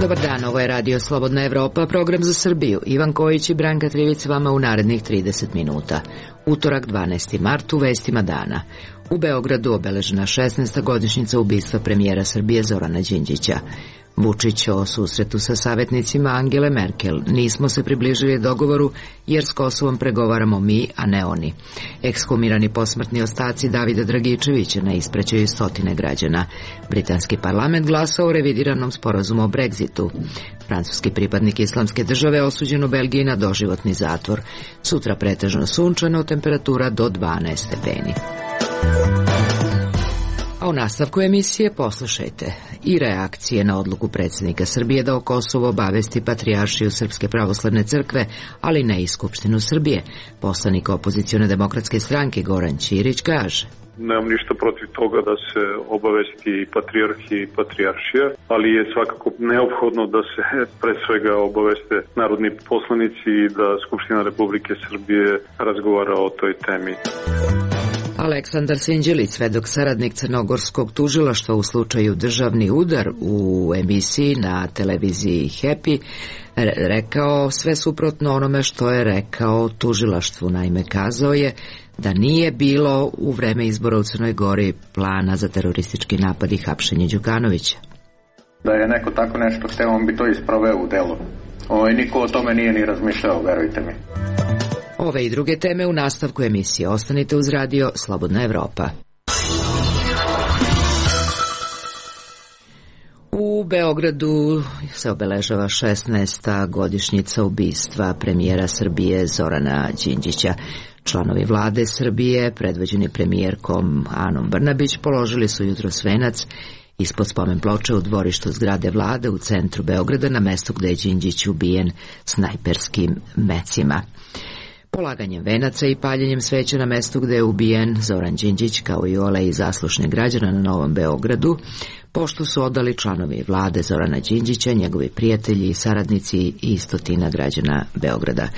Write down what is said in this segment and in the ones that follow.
Dobar dan, ovo je Radio Slobodna Evropa, program za Srbiju. Ivan Kojić i Branka Trivic vama u narednih 30 minuta. Utorak, 12. mart, u vestima dana. U Beogradu obeležena 16. godišnjica ubistva premijera Srbije Zorana Đinđića. Vučić o susretu sa savjetnicima Angele Merkel. Nismo se približili dogovoru jer s Kosovom pregovaramo mi, a ne oni. Ekshumirani posmrtni ostaci Davida Dragičevića ne ispraćaju stotine građana. Britanski parlament glasao o revidiranom sporazumu o Brexitu. Francuski pripadnik Islamske države osuđen u Belgiji na doživotni zatvor. Sutra pretežno sunčano, temperatura do 12 stepeni. A u nastavku emisije poslušajte i reakcije na odluku predsjednika Srbije da o Kosovu obavesti Patrijaršiju Srpske pravoslavne crkve, ali ne i Skupštinu Srbije. Poslanik opozicione demokratske stranke Goran Ćirić kaže: Nemam ništa protiv toga da se obavesti i patrijarh i patrijaršija, ali je svakako neophodno da se pre svega obaveste narodni poslanici i da Skupština Republike Srbije razgovara o toj temi. Aleksandar Sinđelić, svedok saradnik crnogorskog tužilaštva u slučaju državni udar u emisiji na televiziji Happy, rekao sve suprotno onome što je rekao tužilaštvu. Naime, kazao je da nije bilo u vreme izbora u Crnoj Gori plana za teroristički napad i hapšenje Đukanovića. Da je neko tako nešto hteo, on bi to isproveo u delu. Niko o tome nije ni razmišljao, verujte mi. Ove i druge teme u nastavku emisije. Ostanite uz Radio Slobodna Evropa. U Beogradu se obeležava 16. godišnjica ubistva premijera Srbije Zorana Đinđića. Članovi vlade Srbije, predvođeni premijerkom Anom Brnabić, položili su jutros venac ispod spomen ploče u dvorištu zgrade vlade u centru Beograda, na mestu gde je Đinđić ubijen snajperskim mecima. Polaganjem venaca i paljenjem sveća na mestu gde je ubijen Zoran Đinđić, kao i oleji zaslušnih građana na Novom Beogradu, poštu su odali članovi vlade Zorana Đinđića, njegovi prijatelji i saradnici i stotina građana Beograda.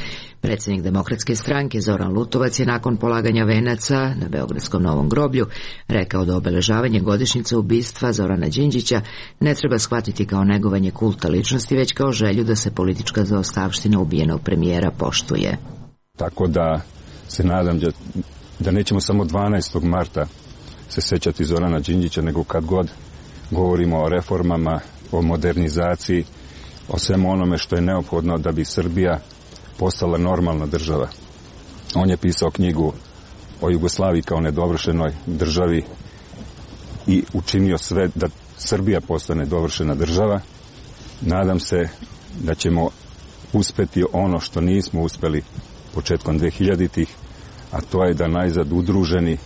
Predsjednik Demokratske stranke Zoran Lutovac je nakon polaganja venaca na Beogradskom Novom groblju rekao da obeležavanje godišnjice ubistva Zorana Đinđića ne treba shvatiti kao negovanje kulta ličnosti, već kao želju da se politička zaostavština ubijenog premijera poštuje. Tako da se nadam da nećemo samo 12. marta se sećati Zorana Đinđića, nego kad god govorimo o reformama, o modernizaciji, o svemu onome što je neophodno da bi Srbija postala normalna država. On je pisao knjigu o Jugoslaviji kao nedovršenoj državi i učinio sve da Srbija postane dovršena država. Nadam se da ćemo uspeti ono što nismo uspeli početkom 2000-ih, a to je da najzad udruženi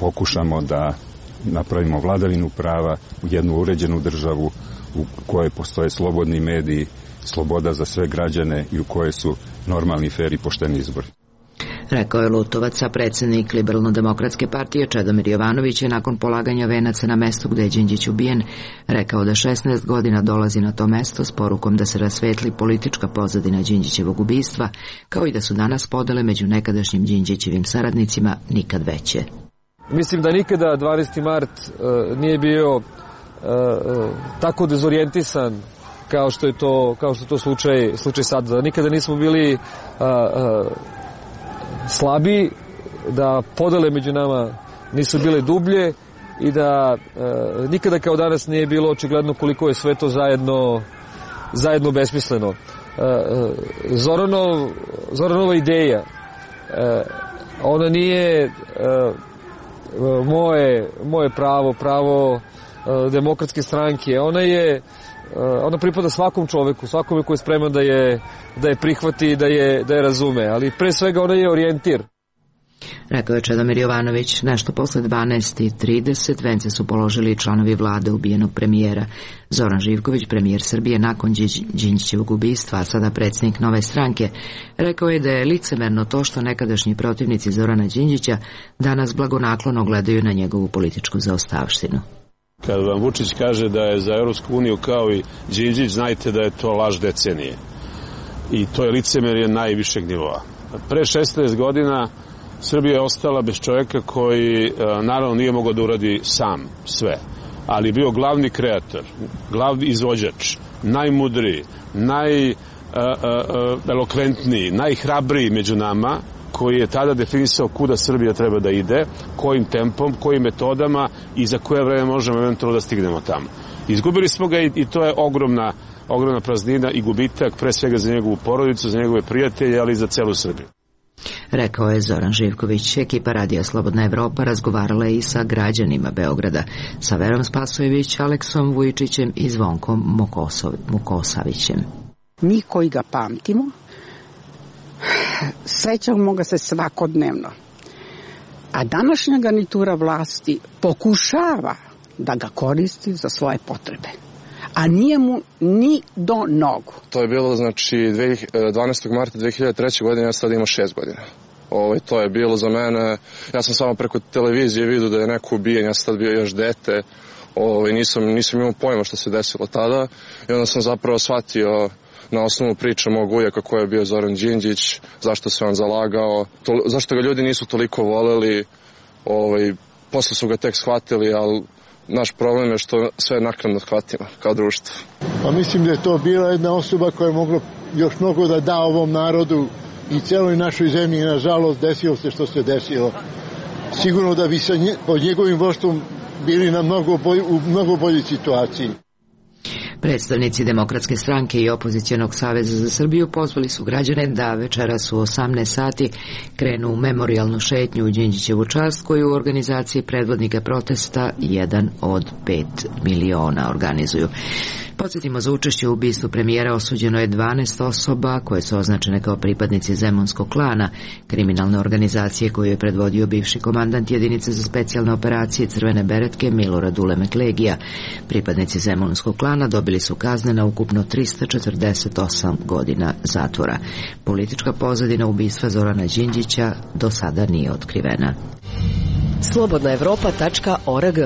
pokušamo da napravimo vladavinu prava u jednu uređenu državu u kojoj postoje slobodni mediji, sloboda za sve građane i u kojoj su normalni, fer i pošteni izbori. Rekao je Lutovac, a predsjednik Liberalno-demokratske partije Čedomir Jovanović je nakon polaganja venaca na mestu gde je Đinđić ubijen rekao da 16 godina dolazi na to mesto s porukom da se rasvetli politička pozadina Đinđićevog ubistva, kao i da su danas podele među nekadašnjim Đinđićevim saradnicima nikad veće. Mislim da nikada 12. mart nije bio tako dezorijentisan kao što je to slučaj sad. Da nikada nismo bili slabi, da podele među nama nisu bile dublje i da nikada kao danas nije bilo očigledno koliko je sve to zajedno besmisleno. Zoranova ideja, ona nije moje pravo Demokratske stranke, ona pripada svakom čoveku, svakome koji je spreman da je prihvati i da je razume, ali pre svega ona je orijentir. Rekao je Čedomir Jovanović. Nešto posle 12:30 vence su položili članovi vlade ubijenog premijera. Zoran Živković, premijer Srbije nakon Đinđićevog ubistva, a sada predsjednik Nove stranke, rekao je da je licemerno to što nekadašnji protivnici Zorana Đinđića danas blagonaklono gledaju na njegovu političku zaostavštinu. Kad vam Vučić kaže da je za Europsku uniju kao i Đinđić, znajte da je to laž decenije. I to je licemerje najvišeg nivoa. Pre 16 godina Srbija je ostala bez čovjeka koji naravno nije mogao da uradi sam sve. ali bio glavni kreator, glavni izvođač, najmudriji, najelokventniji, najhrabriji među nama, koji je tada definisao kuda Srbija treba da ide, kojim tempom, kojim metodama i za koje vreme možemo eventualno da stignemo tamo. Izgubili smo ga i to je ogromna praznina i gubitak, pre svega za njegovu porodicu, za njegove prijatelje, ali i za celu Srbiju. Rekao je Zoran Živković. Ekipa Radija Slobodna Evropa razgovarala je i sa građanima Beograda, sa Verom Spasojević, Aleksom Vujičićem i Zvonkom Mukosavićem. Mi koji ga pamtimo, sećamo ga se svakodnevno. A današnja garnitura vlasti pokušava da ga koristi za svoje potrebe. A nije mu ni do nogu. To je bilo, znači, 12. marta 2003. godine, ja sad imam 6 godina. To je bilo za mene, ja sam samo preko televizije vidio da je neko ubijen, ja sam tad bio još dete, nisam imao pojma što se desilo tada i onda sam zapravo shvatio na osnovu priče mog ujaka ko je bio Zoran Đinđić, zašto se on zalagao, zašto ga ljudi nisu toliko voleli, posle su ga tek shvatili, ali naš problem je što sve naknadno shvatimo kao društvo. Pa mislim da je to bila jedna osoba koja je mogla još mnogo da da ovom narodu i celoj našoj zemlji. Nažalost, desilo se što se desilo. Sigurno da bi pod njegovim vodstvom bili u mnogo boljoj situaciji. Predstavnici Demokratske stranke i Opozicionog saveza za Srbiju pozvali su građane da večeras u 18 sati krenu u memorijalnu šetnju u Đinđićevu čast koju u organizaciji predvodnika protesta 1 od 5 miliona organizuju. Podsjetimo, za učešće u ubistvu premijera osuđeno je 12 osoba koje su označene kao pripadnici Zemunskog klana, kriminalne organizacije koju je predvodio bivši komandant jedinice za specijalne operacije Crvene beretke Milorad Ulemek Legija. Pripadnici Zemunskog klana dobili su kazne na ukupno 348 godina zatvora. Politička pozadina ubistva Zorana Đinđića do sada nije otkrivena. Slobodnaevropa.org.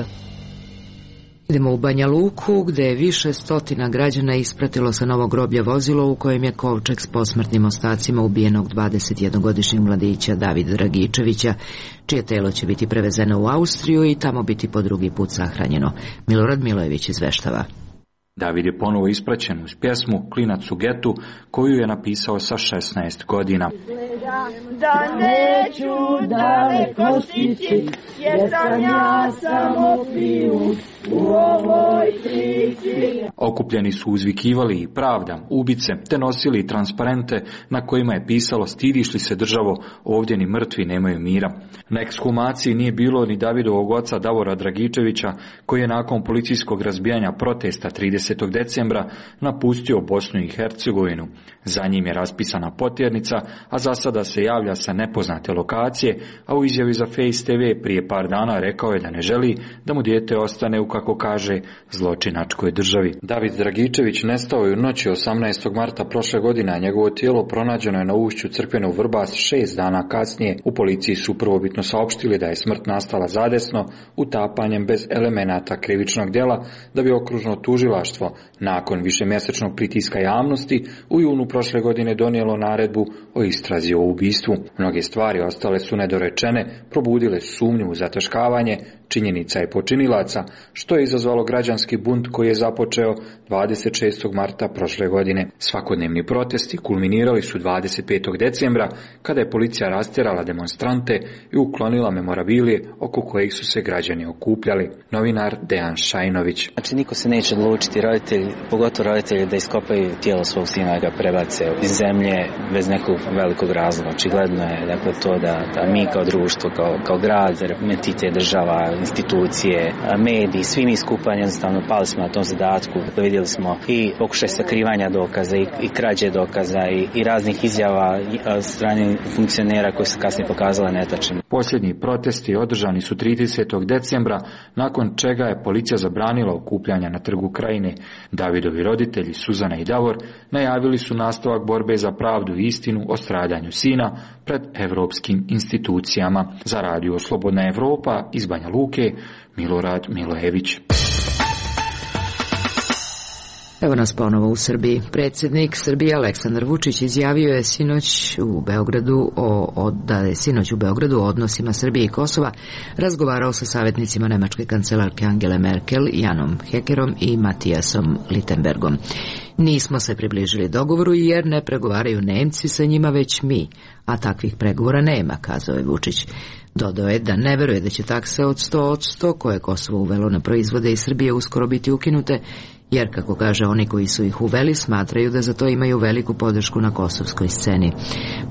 Idemo u Banja Luku, gde je više stotina građana ispratilo sa novog groblja vozilo u kojem je kovčeg s posmrtnim ostacima ubijenog 21-godišnjeg mladića Davida Dragičevića, čije telo će biti prevezeno u Austriju i tamo biti po drugi put sahranjeno. Milorad Milojević izveštava. David je ponovo ispraćen uz pjesmu Klinac u getu, koju je napisao sa 16 godina. Da neću daleko stići, jer sam ja samo pijut u ovoj priči. Okupljeni su uzvikivali i pravda, ubice, te nosili transparente na kojima je pisalo stidiš li se državo, ovdje ni mrtvi nemaju mira. Na ekshumaciji nije bilo ni Davidovog oca Davora Dragičevića, koji je nakon policijskog razbijanja protesta 30. decembra napustio Bosnu i Hercegovinu. Za njim je raspisana potjernica, a za sada se javlja sa nepoznate lokacije, a u izjavi za Face TV prije par dana rekao je da ne želi da mu dijete ostane u, kako kaže, zločinačkoj državi. David Dragičević nestao je u noći 18. marta prošle godine, a njegovo tijelo pronađeno je na ušću crkvene u Vrbas 6 dana kasnije. U policiji su prvobitno saopštili da je smrt nastala zadesno, utapanjem bez elemenata krivičnog djela, da bi okružno tužilaštvo nakon višemjesečnog pritiska javnosti u junu prošle godine donijelo naredbu o istrazi o ubistvu. Mnoge stvari ostale su nedorečene, probudile sumnju u zataškavanje činjenica i počinilaca, što je izazvalo građanski bunt koji je započeo 26. marta prošle godine. Svakodnevni protesti kulminirali su 25. decembra, kada je policija rastjerala demonstrante i uklonila memorabilije oko kojih su se građani okupljali. Novinar Dejan Šajnović. Znači, niko se neće odlučiti, roditelji, pogotovo roditelji, da iskopaju tijelo svog sina i ga prebace iz zemlje bez nekog velikog razloga. Očigledno je, dakle, to da mi kao društvo, kao grad, entitet, država, institucije, mediji, svi mi skupa jednostavno pali smo na tom zadatku. Vidjeli smo i pokušaj sakrivanja dokaza i krađe dokaza i raznih izjava od strane funkcionera koji su kasnije pokazale netačnim. Posljednji protesti održani su 30. decembra, nakon čega je policija zabranila okupljanja na Trgu Krajine. Davidovi roditelji, Suzana i Davor, najavili su nastavak borbe za pravdu i istinu o stradanju sina pred evropskim institucijama. Za radio Slobodna Evropa iz Banja Luke, Milorad Milojević. Evo nas ponovo u Srbiji. Predsjednik Srbije Aleksandar Vučić izjavio je sinoć u Beogradu o odnosima Srbije i Kosova razgovarao sa savjetnicima nemačke kancelarke Angele Merkel, Janom Hekerom i Matijasom Littenbergom. Nismo se približili dogovoru jer ne pregovaraju Nemci sa njima, već mi, a takvih pregovora nema, kazao je Vučić. Dodao je da ne veruje da će takse od 100% koje Kosovo uvelo na proizvode iz Srbije uskoro biti ukinute, jer, kako kaže, oni koji su ih uveli smatraju da za to imaju veliku podršku na kosovskoj sceni.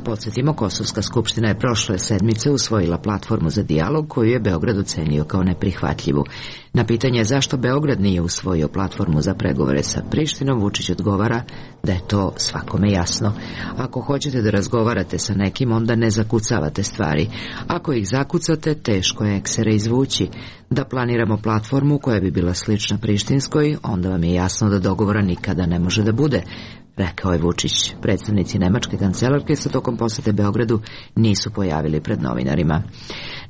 Podsjetimo, Kosovska skupština je prošle sedmice usvojila platformu za dijalog koju je Beograd ocenio kao neprihvatljivu. Na pitanje zašto Beograd nije usvojio platformu za pregovore sa Prištinom, Vučić odgovara da je to svakome jasno. Ako hoćete da razgovarate sa nekim, onda ne zakucavate stvari. Ako ih zakucate, teško je eksere izvući. Da planiramo platformu koja bi bila slična prištinskoj, onda vam je jasno da dogovora nikada ne može da bude, rekao je Vučić. Predstavnici nemačke kancelarke se tokom posete Beogradu nisu pojavili pred novinarima.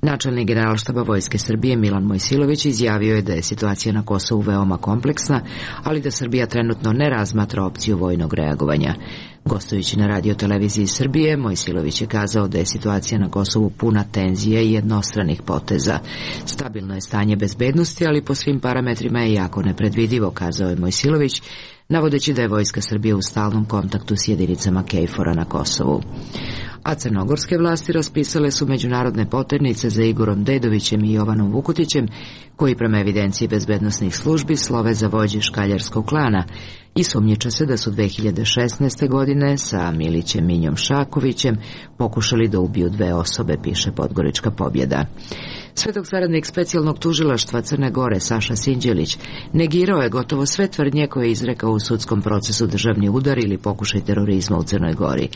Načelnik Generalštaba Vojske Srbije Milan Mojsilović izjavio je da je situacija na Kosovu veoma kompleksna, ali da Srbija trenutno ne razmatra opciju vojnog reagovanja. Gostujući na Radio-televiziji Srbije, Mojsilović je kazao da je situacija na Kosovu puna tenzije i jednostranih poteza. Stabilno je stanje bezbednosti, ali po svim parametrima je jako nepredvidivo, kazao je Mojsilović, navodeći da je Vojska Srbije u stalnom kontaktu s jedinicama KFOR-a na Kosovu. A crnogorske vlasti raspisale su međunarodne poternice za Igorom Dedovićem i Jovanom Vukutićem, koji prema evidenciji bezbednosnih službi slove za vođe škaljarskog klana i sumnjiče se da su 2016. godine sa Milićem Minjom Šakovićem pokušali da ubiju 2 osobe, piše Podgorička Pobjeda. Svedok saradnik specijalnog tužilaštva Crne Gore Saša Sinđelić negirao je gotovo sve tvrdnje koje je izrekao u sudskom procesu državni udar ili pokušaj terorizma u Crnoj Gori.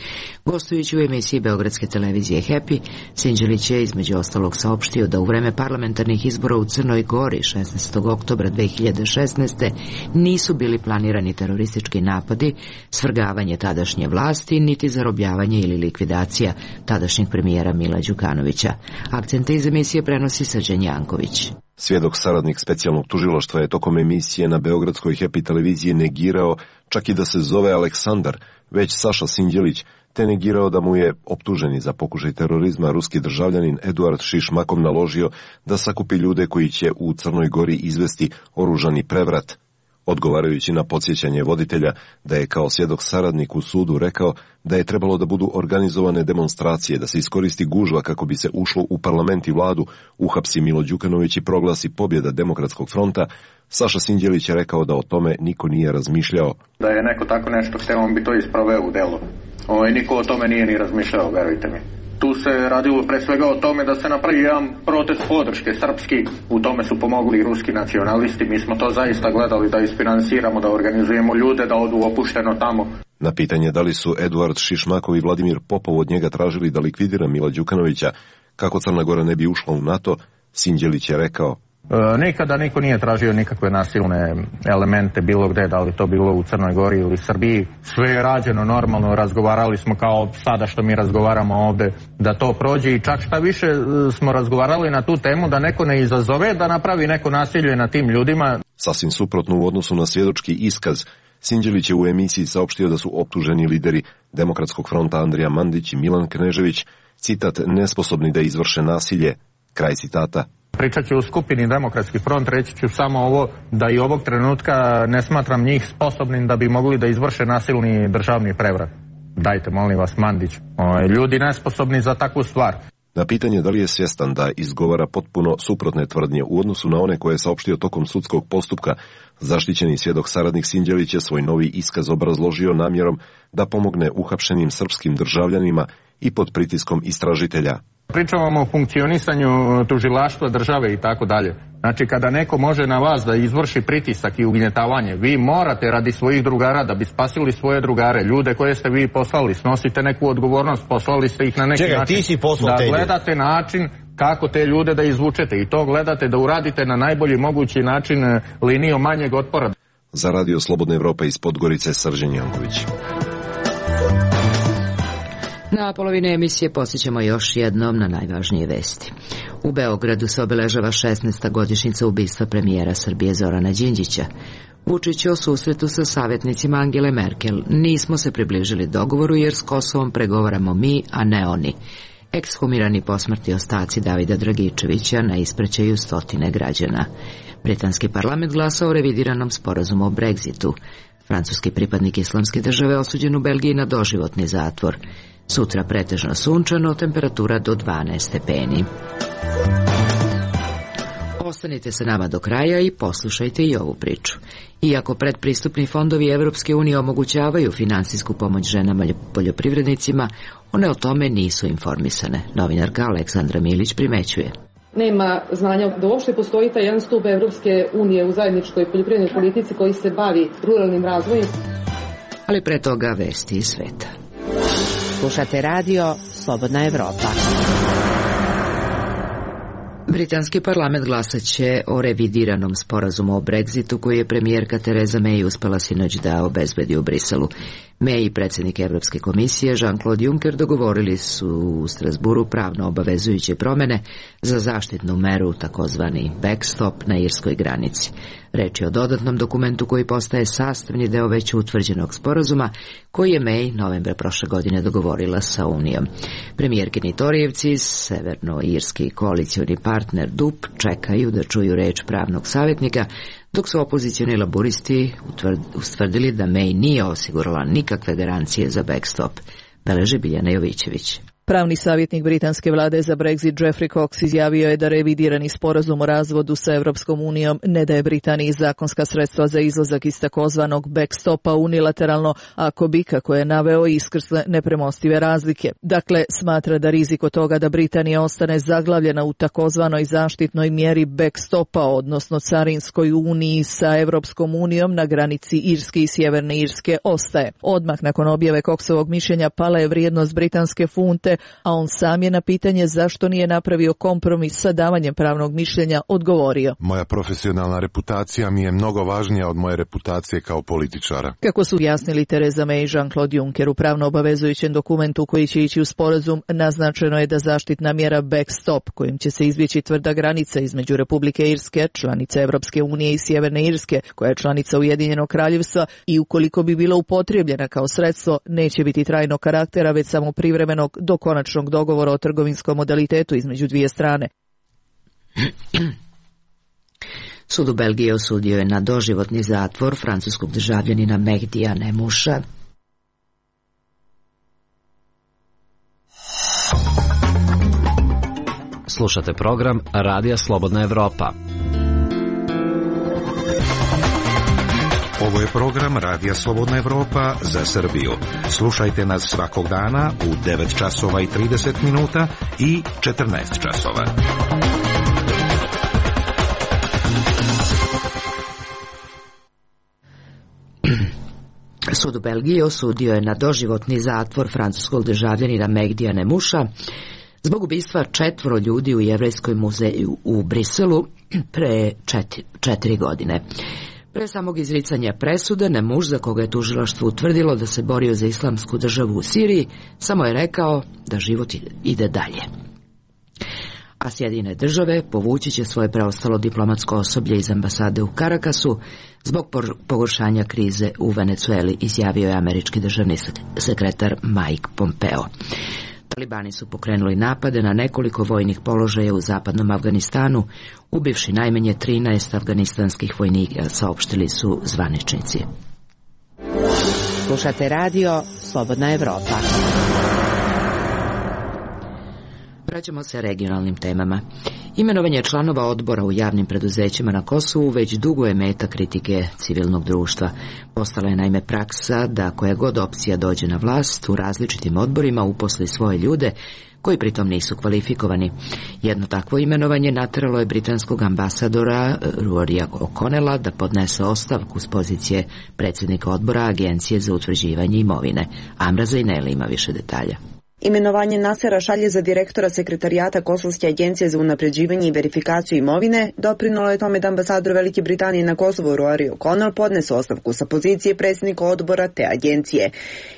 Gostujući u emisiji Beogradske televizije Happy, Sinđelić je između ostalog saopštio da u vreme parlamentarnih izbora u Crnoj Gori 16. oktobra 2016. nisu bili planirani teroristički napadi, svrgavanje tadašnje vlasti, niti zarobljavanje ili likvidacija tadašnjeg premijera Mila Đukanovića. Akcente iz emisije prenosi Srđan Janković. Svjedok saradnik specijalnog tužilaštva je tokom emisije na Beogradskoj Happy televiziji negirao čak i da se zove Aleksandar, već Saša Sinđelić, te negirao da mu je optuženi za pokušaj terorizma ruski državljanin Eduard Šišmakov naložio da sakupi ljude koji će u Crnoj Gori izvesti oružani prevrat. Odgovarajući na podsjećanje voditelja da je kao svjedok saradnik u sudu rekao da je trebalo da budu organizovane demonstracije, da se iskoristi gužva kako bi se ušlo u parlament i vladu, uhapsi Milo Đukanović i proglasi pobjeda Demokratskog fronta, Saša Sinđelić je rekao da o tome niko nije razmišljao. Da je neko tako nešto hteo, on bi to isproveo u delo. Niko o tome nije ni razmišljao, verujte mi. Tu se radilo pre svega o tome da se napravi jedan protest podrške srpski, u tome su pomogli i ruski nacionalisti, mi smo to zaista gledali da isfinansiramo, da organizujemo ljude, da odu opušteno tamo. Na pitanje da li su Eduard Šišmakov i Vladimir Popov od njega tražili da likvidira Mila Đukanovića kako Crna Gora ne bi ušla u NATO, Sinđelić je rekao: Nikada niko nije tražio nikakve nasilne elemente bilo gde, da li to bilo u Crnoj Gori ili Srbiji. Sve je rađeno normalno, razgovarali smo kao sada što mi razgovaramo ovde da to prođe i čak šta više smo razgovarali na tu temu da neko ne izazove da napravi neko nasilje na tim ljudima. Sasvim suprotno u odnosu na svjedočki iskaz, Sinđelić je u emisiji saopštio da su optuženi lideri Demokratskog fronta Andrija Mandić i Milan Knežević, citat, nesposobni da izvrše nasilje, kraj citata. Pričat ću u skupini Demokratski front, reći ću samo ovo, da i ovog trenutka ne smatram njih sposobnim da bi mogli da izvrše nasilni državni prevrat. Dajte, molim vas, Mandić. Ljudi nesposobni za takvu stvar. Na pitanje da li je svjestan da izgovara potpuno suprotne tvrdnje u odnosu na one koje je saopštio tokom sudskog postupka, zaštićeni svjedok saradnik Sinđelić je svoj novi iskaz obrazložio namjerom da pomogne uhapšenim srpskim državljanima i pod pritiskom istražitelja. Pričamo o funkcionisanju tužilaštva države i tako dalje. Znači, kada neko može na vas da izvrši pritisak i ugnjetavanje, vi morate radi svojih drugara da bi spasili svoje drugare, ljude koje ste vi poslali, snosite neku odgovornost, poslali ste ih na neki način. Ti si poslao da gledate način kako te ljude da izvučete i to gledate da uradite na najbolji mogući način linijom manjeg otpora. Za Radio Slobodna Evropa iz Podgorice, Srđan Janković. Na polovini emisije posjećamo još jednom na najvažnije vesti. U Beogradu se obeležava 16. godišnjica ubistva premijera Srbije Zorana Đinđića. Vučić o susretu sa savjetnicima Angele Merkel. Nismo se približili dogovoru jer s Kosovom pregovaramo mi, a ne oni. Ekshumirani posmrtni ostaci Davida Dragičevića na ispraćaju stotine građana. Britanski parlament glasao o revidiranom sporazumu o Brexitu. Francuski pripadnik Islamske države osuđen u Belgiji na doživotni zatvor. Sutra pretežno sunčano, temperatura do 12 stepeni. Ostanite sa nama do kraja i poslušajte i ovu priču. Iako predpristupni fondovi Evropske unije omogućavaju finansijsku pomoć ženama poljoprivrednicima, one o tome nisu informisane. Novinarka Aleksandra Milić primećuje. Nema znanja da uopšte postoji taj jedan stup Evropske unije u zajedničkoj poljoprivrednoj politici koji se bavi ruralnim razvojem. Ali pre toga vesti iz sveta. Slušate radio Slobodna Evropa. Britanski parlament glasat će o revidiranom sporazumu o Brexitu koji je premijerka Tereza May uspela sinoć da obezbedi u Briselu. May i predsjednik Evropske komisije Jean-Claude Juncker dogovorili su u Strasburu pravno obavezujuće promjene za zaštitnu meru, takozvani backstop na irskoj granici. Reč je o dodatnom dokumentu koji postaje sastavni deo već utvrđenog sporazuma koji je May novembra prošle godine dogovorila sa Unijom. Premijerkini Torijevci, severno-irski koalicioni partner DUP, čekaju da čuju reč pravnog savjetnika, dok su opozicioni laburisti ustvrdili da May nije osigurala nikakve garancije za backstop, beleži Biljana Jovićević. Pravni savjetnik britanske vlade za Brexit Jeffrey Cox izjavio je da revidirani sporazum o razvodu sa Evropskom unijom ne daje Britaniji zakonska sredstva za izlazak iz takozvanog backstopa unilateralno, ako bi, kako je naveo, iskrsle nepremostive razlike. Dakle, smatra da rizik od toga da Britanija ostane zaglavljena u takozvanoj zaštitnoj mjeri backstopa, odnosno carinskoj uniji sa Evropskom unijom na granici Irske i Sjeverne Irske, ostaje. Odmah nakon objave Coxovog mišljenja pala je vrijednost britanske funte, a on sam je na pitanje zašto nije napravio kompromis sa davanjem pravnog mišljenja odgovorio. Moja profesionalna reputacija mi je mnogo važnija od moje reputacije kao političara. Kako su jasnili Tereza May i Jean-Claude Juncker u pravno obavezujućem dokumentu koji će ići u sporazum, naznačeno je da zaštitna mjera backstop, kojim će se izbjeći tvrda granica između Republike Irske, članice Evropske unije, i Sjeverne Irske, koja je članica Ujedinjenog kraljevstva, i ukoliko bi bila upotrijebljena kao sredstvo, neće biti trajnog karaktera, već samo privremenog do konačnog dogovora o trgovinskom modalitetu između dvije strane. Sud u Belgiji osudio je na doživotni zatvor francuskog državljanina Mehdija Nemuša. Slušate program Radija Slobodna Evropa. Ovo je program Radija Slobodna Evropa za Srbiju. Slušajte nas svakog dana u 9 časova i 30 minuta i 14 časova. Sud u Belgiji osudio je na doživotni zatvor francuskog državljanina Mehdija Nemuša zbog ubistva 4 ljudi u Jevrejskoj muzeju u Briselu pre 4 godine. Pre samog izricanja presude, Nemuš, za koga je tužilaštvo utvrdilo da se borio za islamsku državu u Siriji, samo je rekao da život ide dalje. A Sjedinjene države povući će svoje preostalo diplomatsko osoblje iz ambasade u Karakasu zbog pogoršanja krize u Venecueli, izjavio je američki državni sekretar Mike Pompeo. Talibani su pokrenuli napade na nekoliko vojnih položaja u zapadnom Afganistanu, ubivši najmanje 13 afganistanskih vojnika, saopštili su zvaničnici. Slušate radio Slobodna Evropa. Vraćamo se regionalnim temama. Imenovanje članova odbora u javnim preduzećima na Kosovu već dugo je meta kritike civilnog društva. Postala je naime praksa da koja god opcija dođe na vlast u različitim odborima uposli svoje ljude koji pritom nisu kvalifikovani. Jedno takvo imenovanje nateralo je britanskog ambasadora Rorya O'Connella da podnese ostavku s pozicije predsjednika odbora Agencije za utvrđivanje imovine. Amra Zajneli ima više detalja. Imenovanje Nasera Šalje za direktora sekretarijata Kosovske agencije za unapređivanje i verifikaciju imovine doprinalo je tome da ambasador Velike Britanije na Kosovu Rory O'Connor podnese ostavku sa pozicije predsjednika odbora te agencije.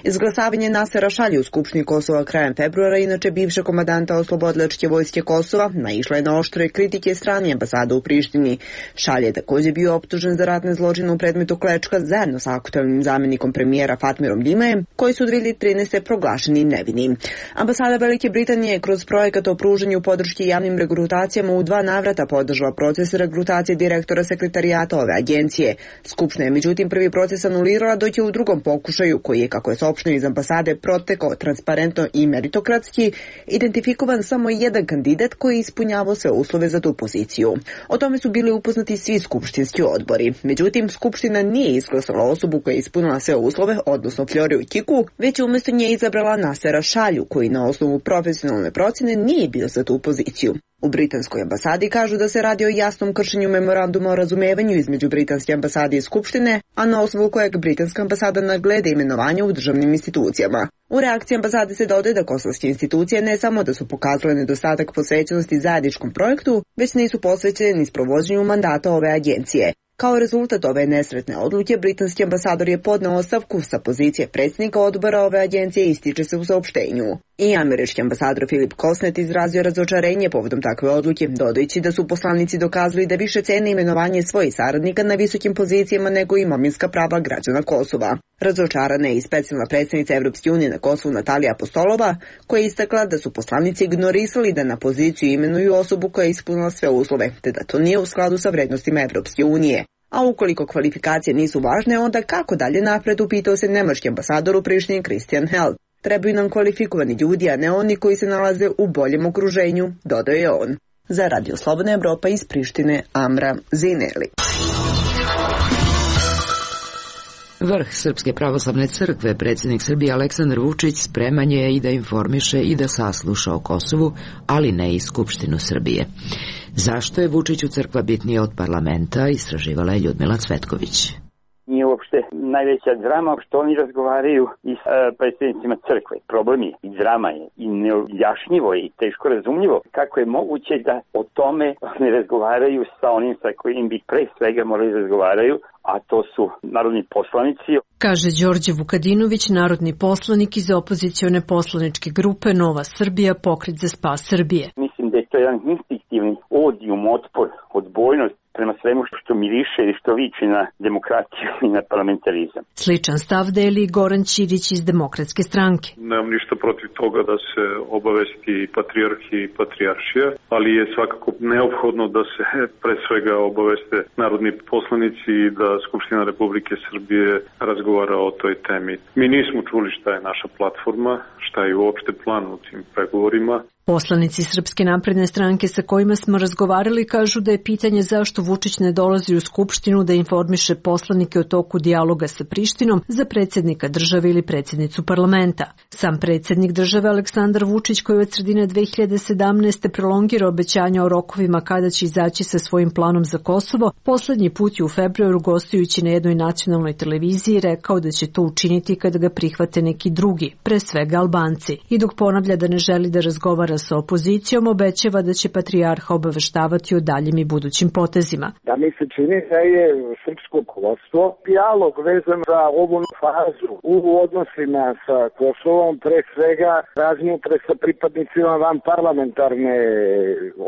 Izglasavanje Nasera Šalje u Skupštini Kosova krajem februara, inače bivšeg komandanta Oslobodilačke vojske Kosova, naišla je na oštre kritike strane ambasade u Prištini. Šalje je također bio optužen za ratne zločine u predmetu Klečka zajedno sa aktualnim zamjenikom premijera Fatmirom Dimajem, koji su 2013. proglašeni nevinim. Ambasada Velike Britanije kroz projekat o pružanju podrške javnim regrutacijama u 2 navrata podržala proces regrutacije direktora sekretarijata ove agencije. Skupština je međutim prvi proces anulirala, dok je u drugom pokušaju, koji je, kako je saopšteno iz ambasade, protekao transparentno i meritokratski, identifikovan samo jedan kandidat koji je ispunjavao sve uslove za tu poziciju. O tome su bili upoznati svi skupštinski odbori. Međutim, Skupština nije izglasala osobu koja je ispunila sve uslove, odnosno Floriju Kiku, već je umjesto nje izabrala Nasera Šalju, koji na osnovu profesionalne procjene nije bio za tu poziciju. U britanskoj ambasadi kažu da se radi o jasnom kršenju memoranduma o razumevanju između britanske ambasade i Skupštine, a na osnovu kojeg britanska ambasada nagleda imenovanje u državnim institucijama. U reakciji ambasade se dodaje da kosovske institucije ne samo da su pokazale nedostatak posvećenosti zajedničkom projektu, već nisu posvećene ni sprovođenju mandata ove agencije. Kao rezultat ove nesretne odluke, britanski ambasador je podneo ostavku sa pozicije predsjednika odbora ove agencije, ističe se u saopštenju. I američki ambasador Philip Kosnet izrazio razočarenje povodom takve odluke, dodajući da su poslanici dokazali da više cene imenovanje svojih saradnika na visokim pozicijama nego imovinska prava građana Kosova. Razočarana je i specijalna predsjednica Evropske unije na Kosovu Natalija Apostolova, koja je istakla da su poslanici ignorisali da na poziciju imenuju osobu koja je ispunila sve uslove, te da to nije u skladu sa vrednostima Evropske unije. A ukoliko kvalifikacije nisu važne, onda kako dalje napred, upitao se nemački ambasador u Prištini Christian Held. Trebaju nam kvalifikovani ljudi, a ne oni koji se nalaze u boljem okruženju, dodao je on. Za Radio Slobodna Evropa iz Prištine, Amra Zineli. Vrh Srpske pravoslavne crkve, predsjednik Srbije Aleksandar Vučić, spreman je i da informiše i da sasluša o Kosovu, ali ne i Skupštinu Srbije. Zašto je Vučiću crkva bitnija od parlamenta, istraživala je Ljudmila Cvetković. Nije uopšte najveća drama što oni razgovaraju i s predsjednicima crkve. Problem je i drama je i neobjašnjivo je i teško razumljivo kako je moguće da o tome ne razgovaraju sa onim sa kojim bi pre svega morali razgovaraju, a to su narodni poslanici. Kaže Đorđe Vukadinović, narodni poslanik iz opozicione poslaničke grupe Nova Srbija, Pokret za spas Srbije. Mislim da je to jedan instinktivni odijum, otpor, odbojnost prema svemu što miriše i što liči na demokratiju i na parlamentarizam. Sličan stav deli Goran Ćirić iz Demokratske stranke. Nemam ništa protiv toga da se obavesti patrijarhi i patrijaršija, ali je svakako neophodno da se pre svega obaveste narodni poslanici i da Skupština Republike Srbije razgovara o toj temi. Mi nismo čuli šta je naša platforma, šta je uopšte plan u tim pregovorima. Poslanici Srpske napredne stranke sa kojima smo razgovarali kažu da je pitanje zašto Vučić ne dolazi u Skupštinu da informiše poslanike o toku dijaloga sa Prištinom za predsjednika države ili predsjednicu parlamenta. Sam predsjednik države Aleksandar Vučić, koji od sredine 2017. prolongira obećanja o rokovima kada će izaći sa svojim planom za Kosovo, poslednji put je u februaru gostujući na jednoj nacionalnoj televiziji rekao da će to učiniti kada ga prihvate neki drugi, pre svega Albanci. I dok ponavlja da ne želi da razgovara sa opozicijom, obećava da će patrijarha obaveštavati o daljim i budućim potezima. Da mi se čini da je srpsko vodstvo dijalog vezan za ovu fazu u odnosima sa Kosovom, pre svega razmutre sa pripadnicima vanparlamentarne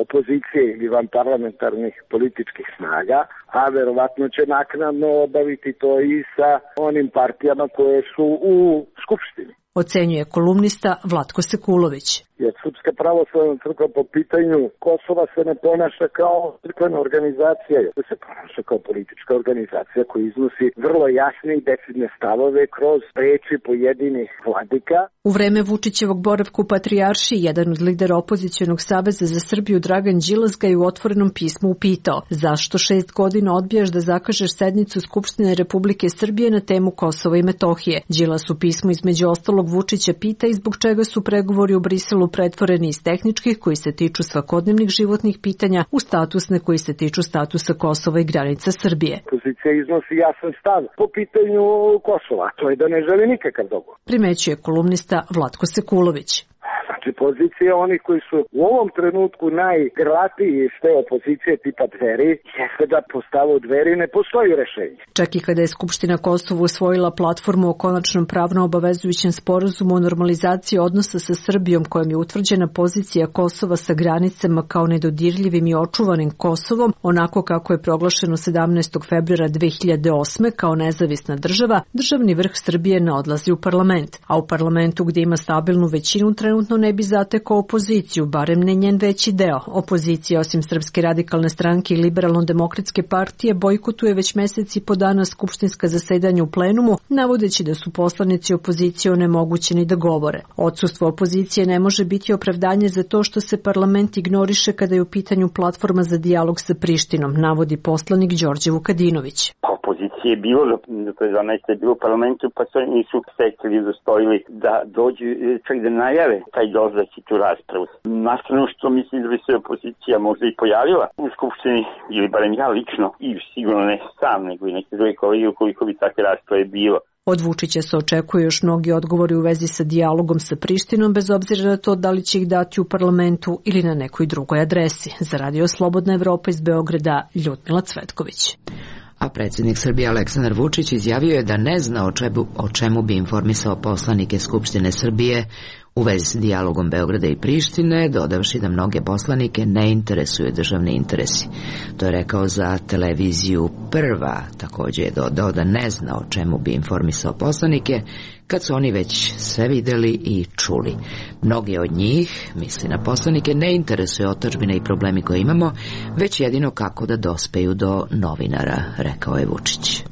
opozicije ili vanparlamentarnih političkih snaga, a verovatno će naknadno obaviti to i sa onim partijama koje su u Skupštini. Ocenjuje kolumnista Vlatko Sekulović. Jer Srpska pravoslavna crkva po pitanju Kosova se ne ponaša kao crkvena organizacija, jer se ponaša kao politička organizacija koja iznosi vrlo jasne i decidne stavove kroz reči pojedinih vladika. U vreme Vučićevog boravka u Patrijaršiji, jedan od lidera opozicionog saveza za Srbiju, Dragan Đilas, ga je u otvorenom pismu upitao zašto 6 godina odbijaš da zakažeš sednicu Skupštine Republike Srbije na temu Kosova i Metohije. Đilas u pismu između ostalog Vučića pita i zbog čega su pregovori u Briselu pretvoreni iz tehničkih koji se tiču svakodnevnih životnih pitanja u statusne koji se tiču statusa Kosova i granica Srbije. Opozicija iznosi jasan stav po pitanju Kosova, to je da ne želi nikakav dogovor. Primećuje kolumnista Vlatko Sekulović. Znači, pozicija onih koji su u ovom trenutku najgratiji iz te opozicije tipa Dveri, jeste da po stavu Dveri ne postoji rešenje. Čak i kada je Skupština Kosovo usvojila platformu o konačnom pravno obavezujućem sporazumu o normalizaciji odnosa sa Srbijom, kojom je utvrđena pozicija Kosova sa granicama kao nedodirljivim i očuvanim Kosovom, onako kako je proglašeno 17. februara 2008. kao nezavisna država, državni vrh Srbije ne odlazi u parlament. A u parlamentu gdje ima stabilnu većinu trenutno ne bi zatekao opoziciju, barem ne njen veći deo. Opozicija, osim Srpske radikalne stranke i Liberalno-demokratske partije, bojkotuje već meseci po dana skupštinska zasedanja u plenumu, navodeći da su poslanici opozicije onemogućeni da govore. Odsustvo opozicije ne može biti opravdanje za to što se parlament ignoriše kada je u pitanju platforma za dijalog sa Prištinom, navodi poslanik Đorđe Vukadinović. Opozicije je bilo, do 12. je bilo u parlamentu, pa se nisu sektori udostojili da dođu, čak da najave taj dolazak i tu raspravu. Nastavno što mislim da bi se opozicija možda i pojavila u Skupštini, ili barem ja lično, i sigurno ne sam, nego i neke druge kolege ukoliko bi takve rasprave bilo. Od Vučića se očekuje još mnogi odgovori u vezi sa dijalogom sa Prištinom, bez obzira na to da li će ih dati u parlamentu ili na nekoj drugoj adresi. Za Radio Slobodna Evropa iz Beograda, Ljudmila Cvetković. A predsjednik Srbije Aleksandar Vučić izjavio je da ne zna o čemu bi informisao poslanike Skupštine Srbije u vezi s dijalogom Beograda i Prištine, dodavši da mnoge poslanike ne interesuje državni interesi. To je rekao za televiziju Prva. Također je dodao da ne zna o čemu bi informisao poslanike kad su oni već sve vidjeli i čuli. Mnogi od njih, misli na poslanike, ne interesuje otadžbina i problemi koje imamo, već jedino kako da dospeju do novinara, rekao je Vučić.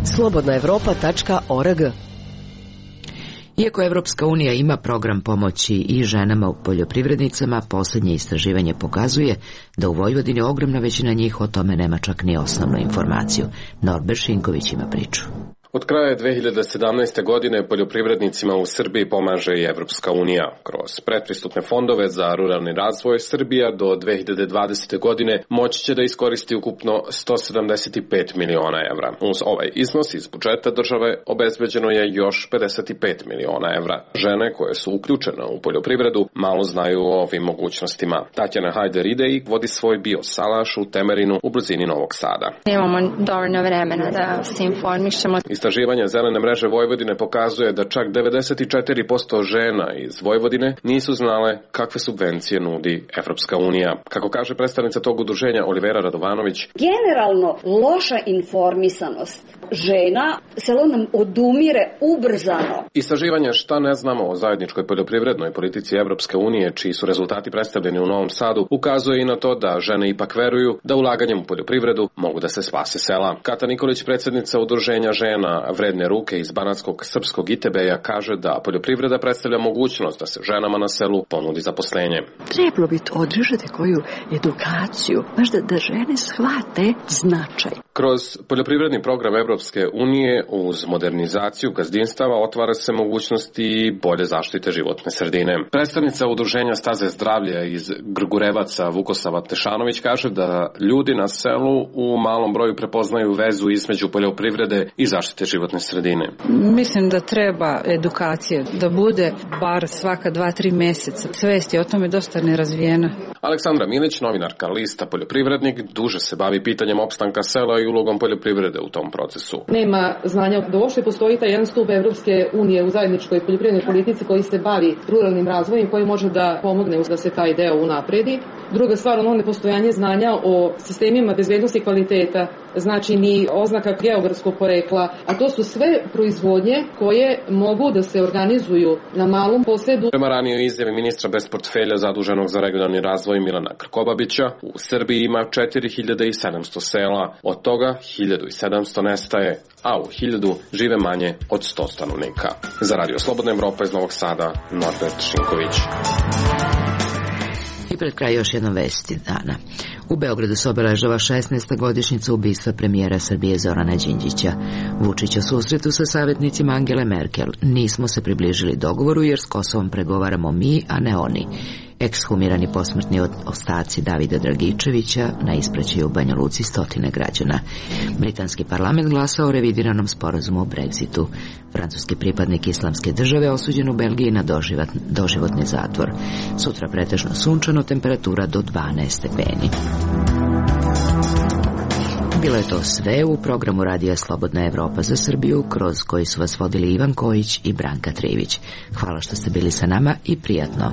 Slobodnaevropa.org. Iako Evropska unija ima program pomoći i ženama u poljoprivrednicama, posljednje istraživanje pokazuje da u Vojvodini ogromna većina njih o tome nema čak ni osnovnu informaciju. Norbert Šinković ima priču. Od kraja 2017. godine poljoprivrednicima u Srbiji pomaže i Evropska unija. Kroz pretpristupne fondove za ruralni razvoj Srbija do 2020. godine moći će da iskoristi ukupno 175 miliona evra. Uz ovaj iznos iz budžeta države obezbeđeno je još 55 miliona evra. Žene koje su uključene u poljoprivredu malo znaju o ovim mogućnostima. Tatjana Hajder-Idej vodi svoj biosalaš u Temerinu u blizini Novog Sada. Nemamo dovoljno vremena da se informišemo. Istraživanje Zelene mreže Vojvodine pokazuje da čak 94% žena iz Vojvodine nisu znale kakve subvencije nudi Evropska unija. Kako kaže predstavnica tog udruženja Olivera Radovanović, generalno loša informisanost žena, selo nam odumire ubrzano. Istraživanje Šta ne znamo o zajedničkoj poljoprivrednoj politici Evropske unije, čiji su rezultati predstavljeni u Novom Sadu, ukazuje i na to da žene ipak veruju da ulaganjem u poljoprivredu mogu da se spase sela. Kata Nikolić, predsednica udruženja žena Vredne ruke iz banatskog srpskog ITB-a, kaže da poljoprivreda predstavlja mogućnost da se ženama na selu ponudi zaposlenje. Trebalo bi to održati koju edukaciju, baš da žene shvate značaj. Kroz poljoprivredni program Evropske unije uz modernizaciju gazdinstava otvara se mogućnosti bolje zaštite životne sredine. Predstavnica udruženja Staze zdravlja iz Grgurevaca Vukosava Tešanović kaže da ljudi na selu u malom broju prepoznaju vezu između poljoprivrede i zaštite životne sredine. Mislim da treba edukacija, da bude bar svaka 2-3 meseca. Svest je o tome dosta nerazvijena. Aleksandra Milić, novinarka lista Poljoprivrednik, duže se bavi pitanjem opstanka sela i ulogom poljoprivrede u tom procesu. Nema znanja da uopšte postoji taj jedan stup Evropske unije u zajedničkoj poljoprivrednoj politici koji se bavi ruralnim razvojem, koji može da pomogne da se taj deo unapredi. Druga stvar, ono nepostojanje znanja o sistemima bezbednosti kvaliteta, znači ni oznaka geografskog porekla, a to su sve proizvodnje koje mogu da se organizuju na malom posedu. Prema ranijoj izjavi ministra bez portfelja zaduženog za regionalni razvoj Milana Krkobabića, u Srbiji ima 4700 sela, od toga 1700 nestaje, a u 1000 žive manje od 100 stanovnika. Za Radio Slobodna Evropa iz Novog Sada, Norbert Šinković. I pred kraj još jedna vesti dana. U Beogradu se obeležava 16. godišnjica ubistva premijera Srbije Zorana Đinđića. Vučić o susretu sa savjetnicima Angele Merkel. Nismo se približili dogovoru jer s Kosovom pregovaramo mi, a ne oni. Ekshumirani posmrtni ostaci Davida Dragičevića na ispraćaju u Banja Luci stotine građana. Britanski parlament glasao o revidiranom sporazumu o Brexitu. Francuski pripadnik islamske države osuđen u Belgiji na doživotni zatvor. Sutra pretežno sunčano, temperatura do 12 stepeni. Bilo je to sve u programu Radija Slobodna Evropa za Srbiju, kroz koji su vas vodili Ivan Kojić i Branka Trivić. Hvala što ste bili sa nama i prijatno.